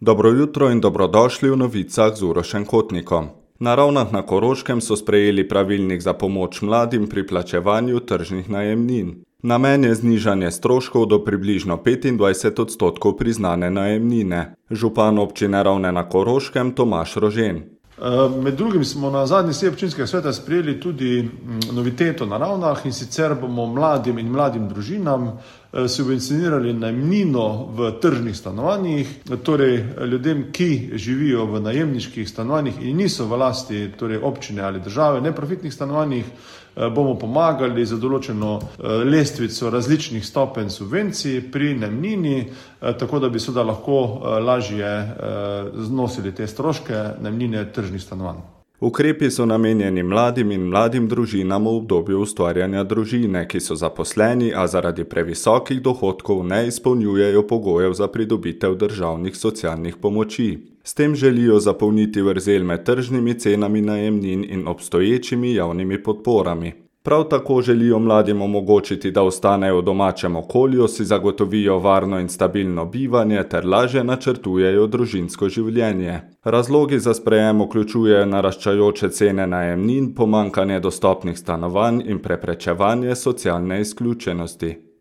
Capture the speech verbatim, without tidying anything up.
Dobro jutro in dobrodošli v novicah z Urošem Kotnikom. Na Ravnah na Koroškem so sprejeli pravilnik za pomoč mladim pri plačevanju tržnih najemnin. Namen je znižanje stroškov do približno petindvajset odstotkov priznane najemnine. Župan občine Ravne na Koroškem Tomaž Rožen. Med drugim smo na zadnji seji občinskega sveta sprejeli tudi noviteto na Ravnah, in sicer bomo mladim in mladim družinam subvencionirali najemnino v tržnih stanovanjih, torej ljudem, ki živijo v najemniških stanovanjih in niso v lasti torej občine ali države, neprofitnih stanovanjih, bomo pomagali za določeno lestvico različnih stopenj subvencij pri najemnini, tako da bi seveda lahko lažje znosili te stroške najemnine tržnih stanovanj. Ukrepi so namenjeni mladim in mladim družinam v obdobju ustvarjanja družine, ki so zaposleni, a zaradi previsokih dohodkov ne izpolnjujejo pogojev za pridobitev državnih socialnih pomoči. S tem želijo zapolniti vrzel med tržnimi cenami najemnin in obstoječimi javnimi podporami. Prav tako želijo mladim omogočiti, da ostanejo v domačem okolju, si zagotovijo varno in stabilno bivanje ter lažje načrtujejo družinsko življenje. Razlogi za sprejem vključujejo naraščajoče cene najemnin, pomanjkanje dostopnih stanovanj in preprečevanje socialne izključenosti.